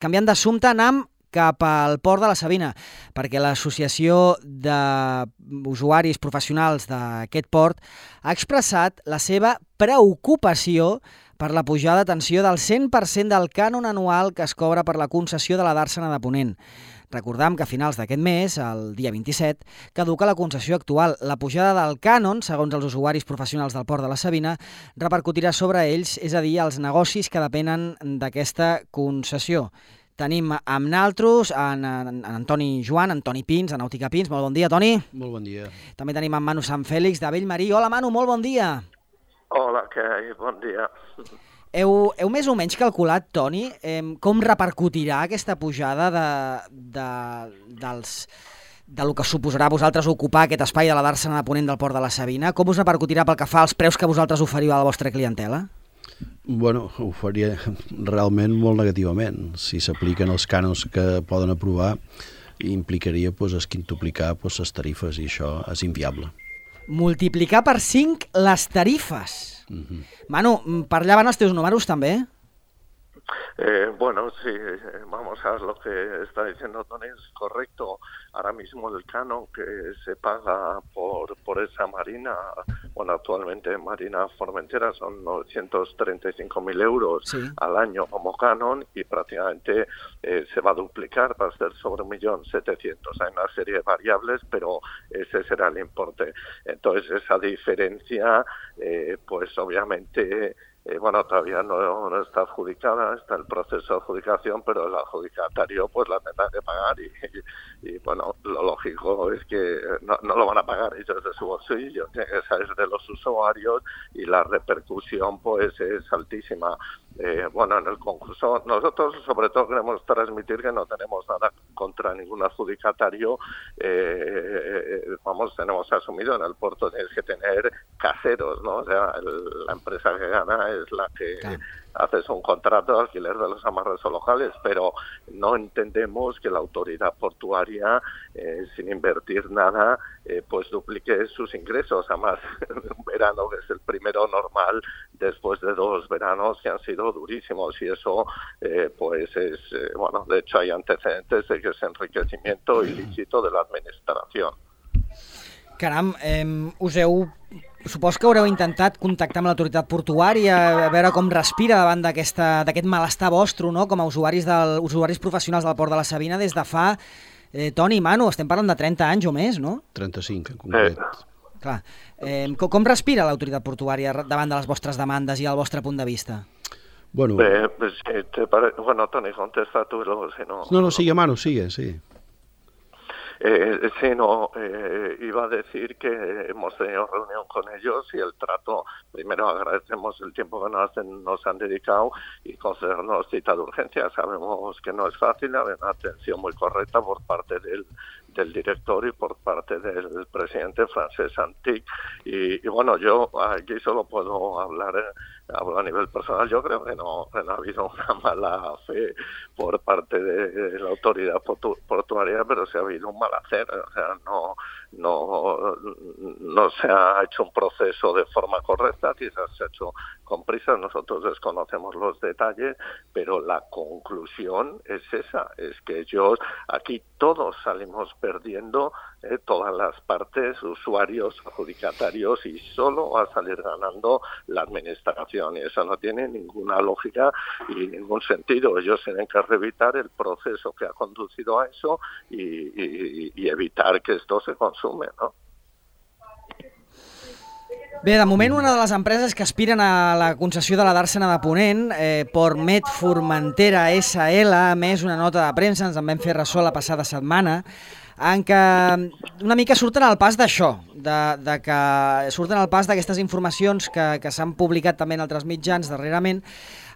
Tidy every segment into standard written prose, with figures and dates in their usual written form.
Canviant d'assumpte, anem cap al Port de la Sabina, perquè l'Associació d'Usuaris Professionals d'aquest port ha expressat la seva preocupació per la pujada, atenció, del 100% del cànon anual que es cobra per la concessió de la Dàrsena de Ponent. Recordam que a finals d'aquest mes, el dia 27, caduca la concessió actual. La pujada del cànon, segons els usuaris professionals del Port de la Sabina, repercutirà sobre ells, és a dir, els negocis que depenen d'aquesta concessió. Tenim amb naltros en Antoni Joan, Antoni Pins, de Nàutica Pins. Molt bon dia, Toni. Molt bon dia. També tenim en Manu Sant Fèlix, de Bellmarí. Hola, Manu, molt bon dia. Hola, què hi? Bon dia. Heu més o menys calculat, Toni, com repercutirà aquesta pujada del que suposarà vosaltres ocupar aquest espai de la Dàrsena de Ponent del Port de la Sabina? Com us repercutirà pel que fa als preus que vosaltres oferiu a la vostra clientela? Bueno, ho faria realment molt negativament. Si s'apliquen els cànons que poden aprovar, implicaria esquintuplicar les tarifes i això és inviable. Multiplicar per 5 les tarifes. Manu, per allà van els teus números també? Bueno, sí, vamos a ver, lo que está diciendo Tony es correcto. Ahora mismo el canon que se paga por esa marina, bueno, actualmente Marina Formentera son 935.000 euros sí, al año como canon y prácticamente se va a duplicar, va a ser sobre 1.700.000. Hay una serie de variables, pero ese será el importe. Entonces, esa diferencia, pues obviamente... bueno, todavía no está adjudicada, está el proceso de adjudicación, pero el adjudicatario pues la tendrá que pagar y bueno, lo lógico es que no lo van a pagar ellos de su bolsillo, tiene que salir de los usuarios y la repercusión pues es altísima. Bueno, en el concurso nosotros sobre todo queremos transmitir que no tenemos nada contra ningún adjudicatario, tenemos asumido en el puerto tienes que tener caseros, ¿no? O sea, la empresa que gana es la que haces un contrato de alquiler de los amarres o locales, pero no entendemos que la autoridad portuaria, sin invertir nada, pues duplique sus ingresos. Además, un verano que es el primero normal después de 2 veranos que han sido durísimos y eso, pues es, bueno, de hecho hay antecedentes de que es enriquecimiento ilícito de la administración. Caram, supos que haureu intentat contactar amb l'autoritat portuària, a veure com respira davant d'aquest malestar vostre, no? Com a usuaris professionals del Port de la Sabina des de fa, Toni i Manu, estem parlant de 30 anys o més, no? 35 en concret. Clar. Com respira l'autoritat portuària davant de les vostres demandes i el vostre punt de vista? Bueno, bueno, Toni, contesta tú y luego si no... No, sigue, Manu, sigue, sí. Sí, no, iba a decir que hemos tenido reunión con ellos y el trato, primero agradecemos el tiempo que nos han dedicado y concedernos cita de urgencia. Sabemos que no es fácil, hay una atención muy correcta por parte del director y por parte del presidente Francesc Antic y bueno, yo aquí solo puedo hablo a nivel personal. Yo creo que no ha habido una mala fe por parte de la autoridad portuaria, pero sí ha habido un mal hacer. O sea, no se ha hecho un proceso de forma correcta, quizás se ha hecho con prisas, nosotros desconocemos los detalles, pero la conclusión es esa, es que aquí todos salimos perdiendo, todas las partes, usuarios, adjudicatarios, y solo va a salir ganando la administración, y eso no tiene ninguna lógica y ningún sentido. Ellos tienen que revisar el proceso que ha conducido a eso y evitar que esto se consume, ¿no? Bé, de moment una de les empreses que aspiren a la concessió de la Dàrsena de Ponent, Portmet Formentera SL, ha emès una nota de premsa, ens en vam fer ressò la passada setmana, en què una mica surten al pas d'això, que surten al pas d'aquestes informacions que s'han publicat també en altres mitjans darrerament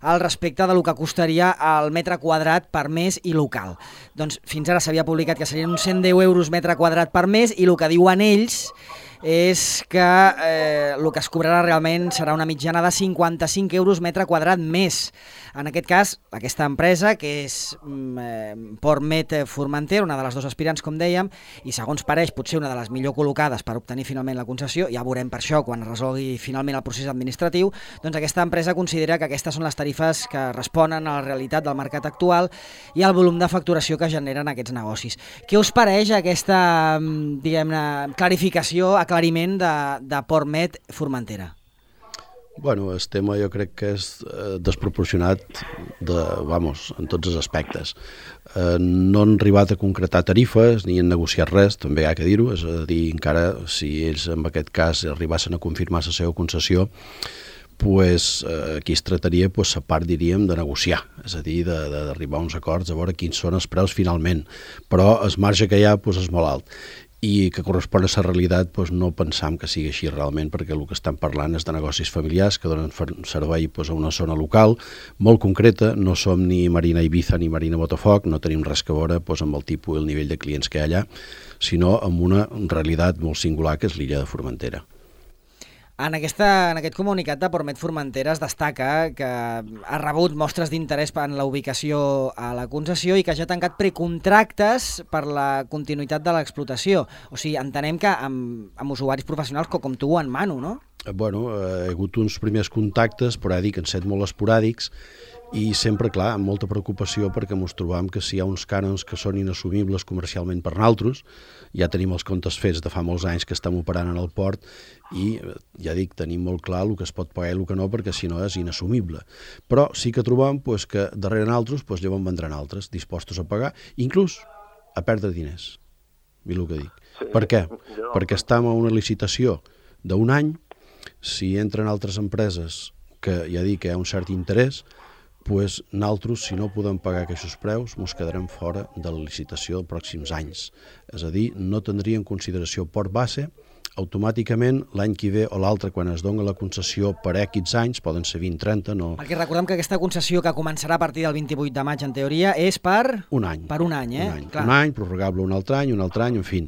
al respecte del que costaria el metre quadrat per mes i local. Doncs fins ara s'havia publicat que serien uns 110 euros metre quadrat per mes i el que diuen ells és que el que es cobrarà realment serà una mitjana de 55 euros metre quadrat més. En aquest cas, aquesta empresa, que és Portmet Formentera, una de les dues aspirants, com dèiem, i segons pareix potser una de les millor col·locades per obtenir finalment la concessió, ja veurem per això quan es resolgui finalment el procés administratiu, doncs aquesta empresa considera que aquestes són les tarifes que responen a la realitat del mercat actual i al volum de facturació que generen aquests negocis. Què us pareix aquesta, diguem-ne, clarificació, aclariment de Portmet Formentera? Bueno, el tema jo crec que és desproporcionat en tots els aspectes. No han arribat a concretar tarifes ni han negociat res, també ha que dir-ho, és a dir, encara si ells en aquest cas arribassin a confirmar la seva concessió, pues, aquí es trataria, pues, a part, diríem, de negociar, és a dir, d'arribar a uns acords, a veure quins són els preus finalment, però el marge que hi ha pues, és molt alt i que correspon a la realitat, doncs no pensam que sigui així realment, perquè el que estan parlant és de negocis familiars que donen servei doncs, a una zona local molt concreta. No som ni Marina Ibiza ni Marina Botafoc, no tenim res que veure doncs, amb el tipus i el nivell de clients que hi ha allà, sinó amb una realitat molt singular que és l'illa de Formentera. En aquest comunicat de Portmet Formentera es destaca que ha rebut mostres d'interès en la ubicació a la concessió i que ja ha tancat precontractes per la continuïtat de l'explotació. O sigui, entenem que amb usuaris professionals com tu o en Manu, no? Bueno, hi ha hagut uns primers contactes, però que han estat molt esporàdics i sempre, clar, amb molta preocupació perquè ens trobam que si hi ha uns cànons que són inassumibles comercialment per nosaltres, ja tenim els comptes fets de fa molts anys que estem operant en el port i, ja dic, tenim molt clar el que es pot pagar i el que no, perquè si no és inassumible. Però sí que trobam pues, que darrere nosaltres pues, llavors vendran altres dispostos a pagar, inclús a perdre diners. Mira el que dic. Sí, per què? Perquè estem a una licitació d'un any, si entren altres empreses que ja dic que hi ha un cert interès, doncs nosaltres, si no podem pagar aquests preus, ens quedarem fora de la licitació dels pròxims anys. És a dir, no tindria en consideració port base, automàticament l'any que ve o l'altre, quan es dona la concessió per X anys, poden ser 20-30, no... Perquè recordem que aquesta concessió que començarà a partir del 28 de maig, en teoria, és per... Un any. Per un any, eh? Un any, prorrogable un altre any, en fi.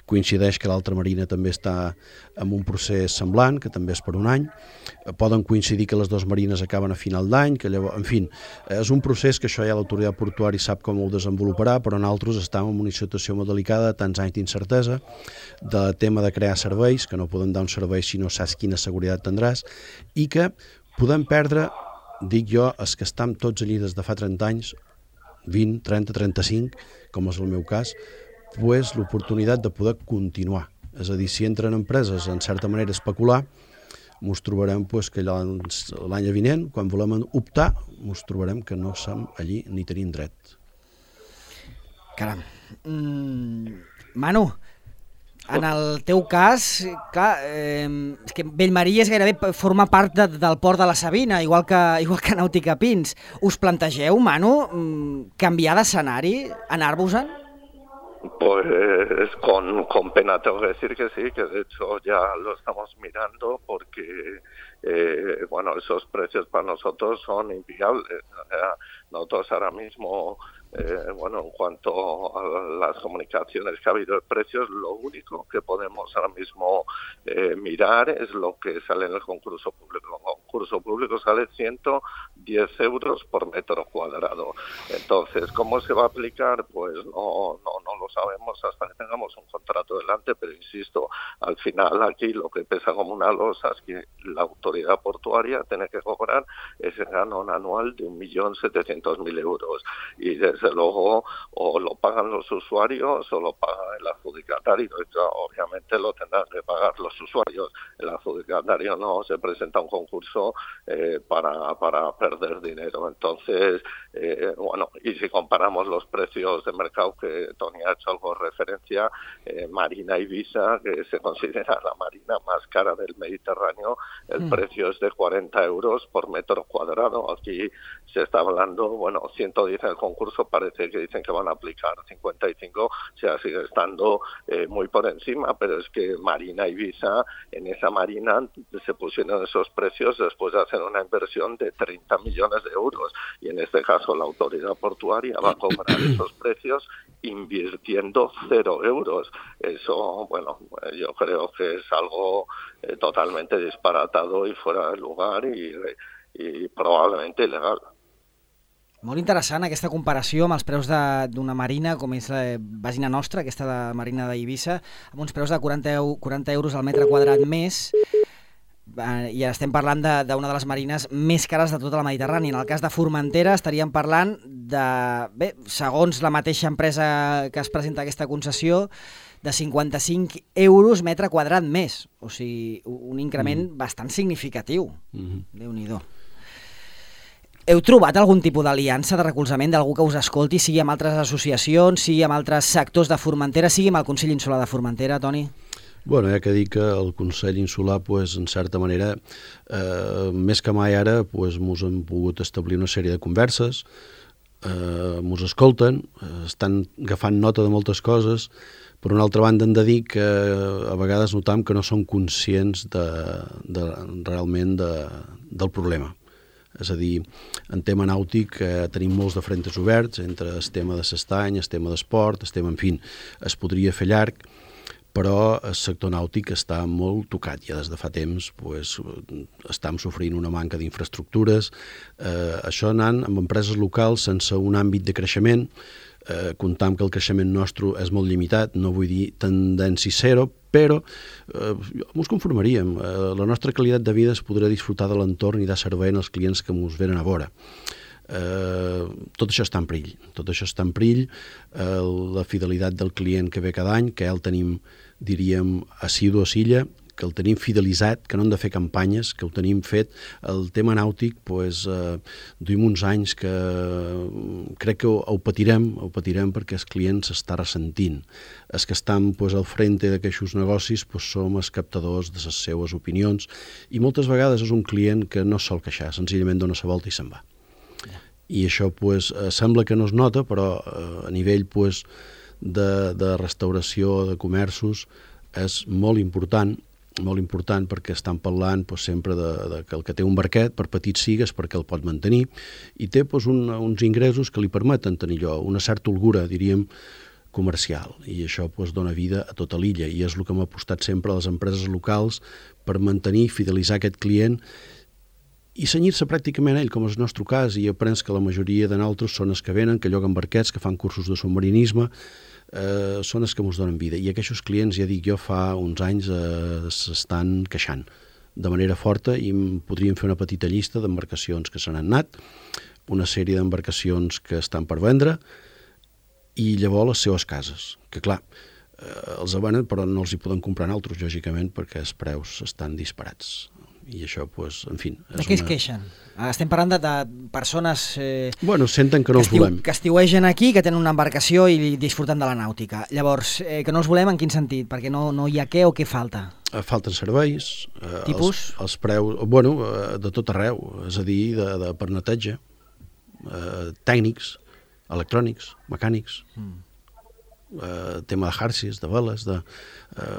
Coincideix que l'altra marina també està en un procés semblant, que també és per un any. Poden coincidir que les dues marines acaben a final d'any, que llavors... En fi, és un procés que això ja l'autoritat portuària sap com ho desenvoluparà, però nosaltres estem en una situació molt delicada, tants anys d'incertesa, de tema de crear serveis, que no podem dar un servei si no saps quina seguretat tindràs, i que podem perdre, dic jo, els que estem tots allí des de fa 30 anys, 20, 30, 35, com és el meu cas, pues, l'oportunitat de poder continuar. És a dir, si entren empreses en certa manera a especular, ens trobarem pues, que l'any vinent, quan volem optar, ens trobarem que no som allí ni tenim dret. Caram. Manu, en el teu cas, clar, és que Bellmarí és gairebé forma part del port de la Sabina, igual que Nàutica Pins. Us plantegeu, Manu, canviar d'escenari, anar-vos-en? Pues con pena tengo que decir que sí, que de hecho ya lo estamos mirando porque bueno, esos precios para nosotros son inviables. Nosotros ahora mismo, bueno, en cuanto a las comunicaciones que ha habido de precios, lo único que podemos ahora mismo mirar es lo que sale en el concurso público. El concurso público sale 110 euros por metro cuadrado. Entonces, ¿cómo se va a aplicar? Pues no lo sabemos hasta que tengamos un contrato delante, pero insisto, al final aquí lo que pesa como una losa es que la autoridad portuaria tiene que cobrar ese canon anual de 1.700.000 euros. Y desde luego o lo pagan los usuarios o lo paga el adjudicatario. Obviamente lo tendrán que pagar los usuarios. El adjudicatario no se presenta a un concurso para perder dinero. Entonces, bueno, y si comparamos los precios de mercado, que Tony ha hecho algo de referencia, Marina Ibiza, que se considera la marina más cara del Mediterráneo, el precio es de 40 euros por metro cuadrado. Aquí se está hablando, bueno, 110 en el concurso, parece que dicen que van a aplicar 55, o sea, sigue estando muy por encima, pero es que Marina Ibiza, en esa marina se pusieron esos precios después de hacer una inversión de 30 millones de euros, y en este caso la autoridad portuaria va a cobrar esos precios invirtiendo 0 euros. Eso, bueno, yo creo que es algo totalmente disparatado y fuera de lugar y probablement il·legal. Molt interessant aquesta comparació amb els preus d'una marina, com és la Vagina Nostra, aquesta de marina d'Eivissa, amb uns preus de 40 euros al metre quadrat més, i estem parlant d'una de les marines més cares de tota la Mediterrània. En el cas de Formentera estaríem parlant de, bé, segons la mateixa empresa que es presenta aquesta concessió, de 55 euros metre quadrat més. O sigui, un increment bastant significatiu. Déu-n'hi-do. Heu trobat algun tipus d'aliança, de recolzament d'algú que us escolti, sigui amb altres associacions, sigui amb altres sectors de Formentera, sigui amb el Consell Insular de Formentera, Toni? Bueno, ja que dic que el Consell Insular, pues, en certa manera, més que mai ara, pues, mos hem pogut establir una sèrie de converses, mos escolten, estan agafant nota de moltes coses. Per una altra banda, hem de dir que a vegades notam que no són conscients realment del problema. És a dir, en tema nàutic tenim molts de frentes oberts entre el tema de s'estany, el tema d'esport, el tema, en fi, es podria fer llarg, però el sector nàutic està molt tocat. Ja des de fa temps estem sofrint una manca d'infraestructures. Això anant amb empreses locals sense un àmbit de creixement, comptam que el creixement nostre és molt limitat, no vull dir tendència zero, però ens conformaríem. La nostra qualitat de vida es podrà disfrutar de l'entorn i de servei als clients que ens venen a veure. Tot això està en perill. Tot això està en perill. La fidelitat del client que ve cada any, que el tenim, diríem, assidu a Silla, que el tenim fidelitzat, que no hem de fer campanyes, que ho tenim fet. El tema nàutic, duim uns anys que crec que ho patirem perquè els clients s'està ressentint. Els que estan al frente d'aquests negocis som els captadors de les seues opinions i moltes vegades és un client que no sol queixar, senzillament dona la volta i se'n va. I això sembla que no es nota, però a nivell de restauració, de comerços, és molt important perquè estan parlant sempre que el que té un barquet, per petit sigues, perquè el pot mantenir, i té uns ingressos que li permeten tenir allò, una certa holgura, diríem, comercial, i això dona vida a tota l'illa, i és el que hem apostat sempre a les empreses locals per mantenir i fidelitzar aquest client i cenyir-se pràcticament a ell, com és el nostre cas, i aprens que la majoria de nosaltres són els que venen, que lloguen barquets, que fan cursos de submarinisme, són els que ens donen vida. I aquests clients, ja dic jo, fa uns anys s'estan queixant de manera forta i podríem fer una petita llista d'embarcacions que se n'han anat, una sèrie d'embarcacions que estan per vendre i llavors les seues cases, que clar, els venen però no els hi poden comprar altres, lògicament, perquè els preus estan disparats. I això, en fi... De què es queixen? Estem parlant de persones senten que no els volem. Que estiuegen aquí, que tenen una embarcació i disfruten de la nàutica. Llavors, que no els volem en quin sentit? Perquè no hi ha què o què falta? Falten serveis. Tipus? Els preus, de tot arreu, és a dir, per neteja, tècnics, electrònics, mecànics, tema de xarxes, de veles,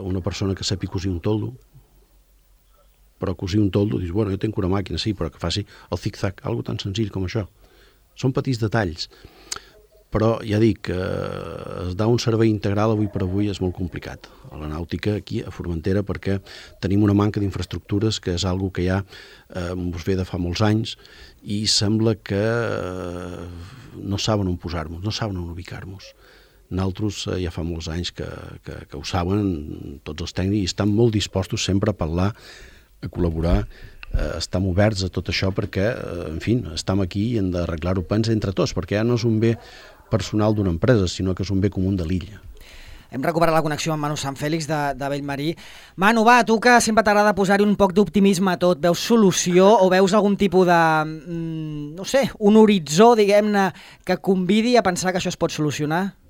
una persona que sàpiga cosir un toldo, però cosir un toldo, dius, jo tinc una màquina, sí, però que faci el zig-zag, algo tan senzill com això. Són petits detalls, però ja dic, dar un servei integral avui per avui és molt complicat. A la nàutica, aquí a Formentera, perquè tenim una manca d'infraestructures que és algo que ja ens ve de fa molts anys i sembla que no saben on posar-nos, no saben on ubicar-nos. Nosaltres ja fa molts anys que ho saben tots els tècnics i estan molt dispostos sempre a parlar, a col·laborar, estem oberts a tot això perquè, en fi, estem aquí i hem d'arreglar-ho entre tots, perquè ja no és un bé personal d'una empresa, sinó que és un bé comú de l'illa. Hem recuperat la connexió amb Manu Sant Fèlix de Bellmarí. Manu, va, tu que sempre t'agrada posar-hi un poc d'optimisme a tot, veus solució o veus algun tipus de, no sé, un horitzó, diguem-ne, que convidi a pensar que això es pot solucionar?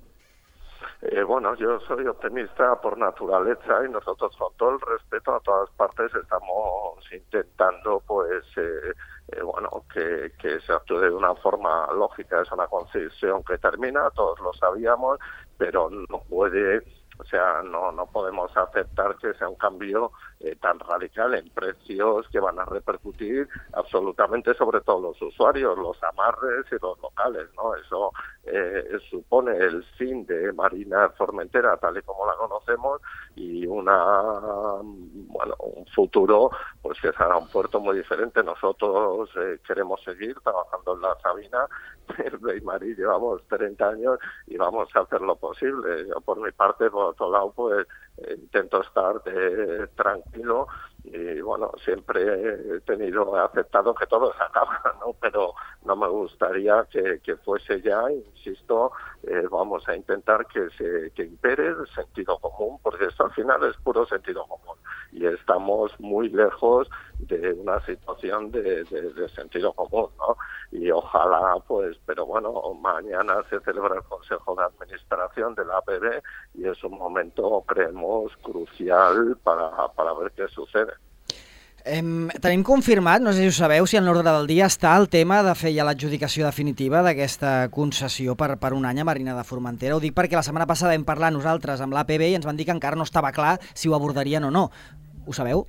Yo soy optimista por naturaleza y nosotros con todo el respeto a todas partes estamos intentando que se actúe de una forma lógica. Es una concesión que termina, todos lo sabíamos, pero no puede O sea, no podemos aceptar que sea un cambio tan radical en precios que van a repercutir absolutamente sobre todos los usuarios, los amarres y los locales, ¿no? Eso supone el fin de Marina Formentera tal y como la conocemos y un futuro pues que será un puerto muy diferente. Nosotros queremos seguir trabajando en la Sabina. En Beimarí llevamos 30 años y vamos a hacer lo posible. Yo, por mi parte, por otro lado, pues intento estar tranquilo y bueno, siempre he aceptado que todo se acaba, ¿no? Pero no me gustaría que fuese ya, insisto, vamos a intentar que impere el sentido común, porque esto al final es puro sentido común y estamos muy lejos de una situación de sentido común, ¿no? Y ojalá, pues, pero bueno, mañana se celebra el Consejo de Administración de la APB y es un momento, creemos, crucial para ver què sucede. Tenim confirmat, no sé si ho sabeu, si en l'ordre del dia està el tema de fer ja l'adjudicació definitiva d'aquesta concessió per un any a Marina de Formentera. Ho dic perquè la setmana passada vam parlar nosaltres amb l'APB i ens van dir que encara no estava clar si ho abordarien o no. Ho sabeu?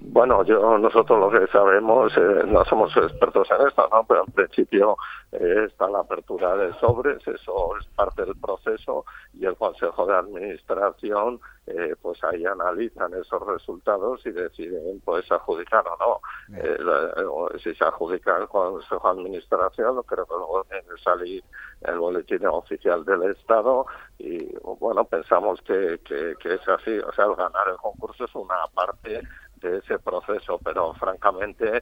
Bueno, nosotros lo que sabemos, no somos expertos en esto, ¿no? Pero en principio está la apertura de sobres, eso es parte del proceso y el Consejo de Administración pues ahí analizan esos resultados y deciden pues adjudicar o no. Si se adjudica el Consejo de Administración, creo que luego tiene que salir el boletín oficial del Estado y bueno, pensamos que es así, o sea, el ganar el concurso es una parte de ese proceso, pero francamente,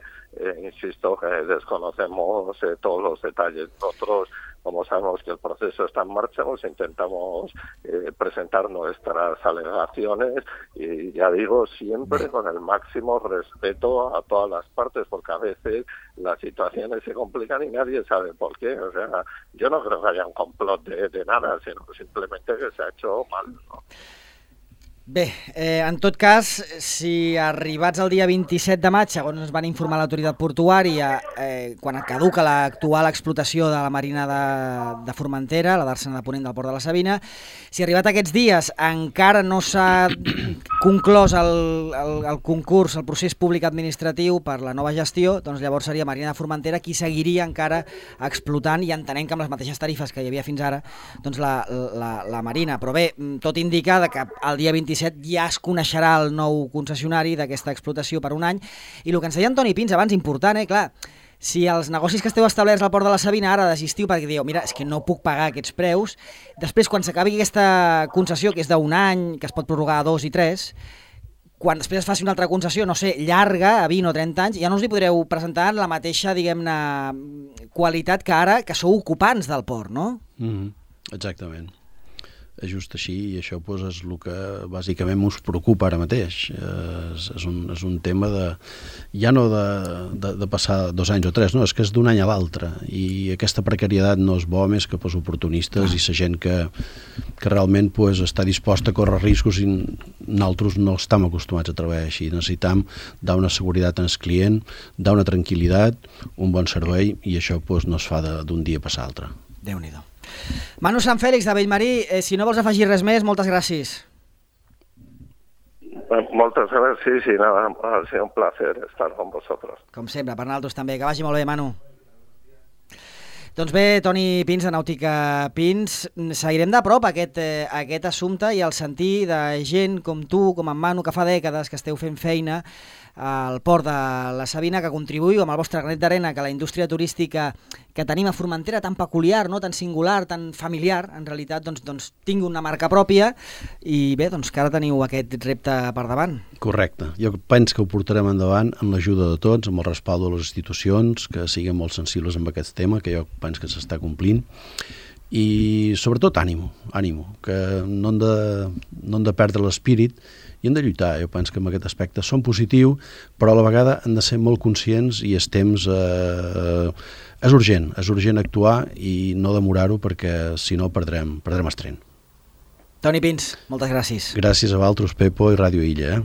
insisto que desconocemos todos los detalles. Nosotros, como sabemos que el proceso está en marcha, pues intentamos presentar nuestras alegaciones y ya digo, siempre con el máximo respeto a todas las partes, porque a veces las situaciones se complican y nadie sabe por qué. O sea, yo no creo que haya un complot de nada, sino simplemente que se ha hecho mal, ¿no? Bé, en tot cas, si arribats el dia 27 de maig, segons ens van informar l'autoritat portuària, quan caduca l'actual explotació de la Marina de Formentera, la d'Àrssena de Ponent del Port de la Sabina, si arribat aquests dies encara no s'ha conclòs el concurs, el procés públic administratiu per la nova gestió, doncs llavors seria Marina de Formentera qui seguiria encara explotant i entenent que amb les mateixes tarifes que hi havia fins ara, doncs la Marina. Però bé, tot indica que el dia 27 ja es coneixerà el nou concessionari d'aquesta explotació per un any. I el que ens deia Antoni Pins abans, important, clar, si els negocis que esteu establerts al Port de la Sabina ara desistiu perquè dieu, mira, és que no puc pagar aquests preus, després quan s'acabi aquesta concessió, que és d'un any, que es pot prorrogar a 2 i 3, quan després es faci una altra concessió, no sé, llarga, a 20 o 30 anys, ja no us hi podreu presentar en la mateixa, diguem-ne, qualitat que ara, que sou ocupants del port, no? Exactament. És just així i això doncs, és el que bàsicament us preocupa ara mateix. És un tema ja no de passar 2 anys o 3, no, és que és d'un any a l'altre i aquesta precarietat no és bo més que pels oportunistes i la gent que realment doncs, està disposta a córrer riscos i nosaltres no estem acostumats a treballar així. Necessitem dar una seguretat al client, dar una tranquil·litat, un bon servei i això doncs, no es fa d'un dia a passar l'altre. Déu-n'hi-do. Manu Sant Fèlix de Bellmarí, si no vols afegir res més, moltes gràcies. Moltes gràcies, sí, nada, ha sido un placer estar con vosotros. Com sempre, per nosaltres també. Que vagi molt bé, Manu. Doncs bé, Toni Pins, de Nàutica Pins, seguirem de prop aquest assumpte i el sentir de gent com tu, com en Manu, que fa dècades que esteu fent feina al Port de la Sabina, que contribuïu amb el vostre granet d'arena que la indústria turística que tenim a Formentera, tan peculiar, no? Tan singular, tan familiar, en realitat, doncs tingui una marca pròpia i bé, doncs que ara teniu aquest repte per davant. Correcte. Jo penso que ho portarem endavant amb l'ajuda de tots, amb el respaldo de les institucions, que siguin molt sensibles amb aquest tema, que jo penso que s'està complint. I sobretot ànimo, que no hem de perdre l'espírit i hem de lluitar. Jo penso que en aquest aspecte som positius, però a la vegada hem de ser molt conscients i el temps és urgent actuar i no demorar-ho perquè si no perdrem el tren. Toni Pins, moltes gràcies. Gràcies a vosaltres, Pepo i Ràdio Illa.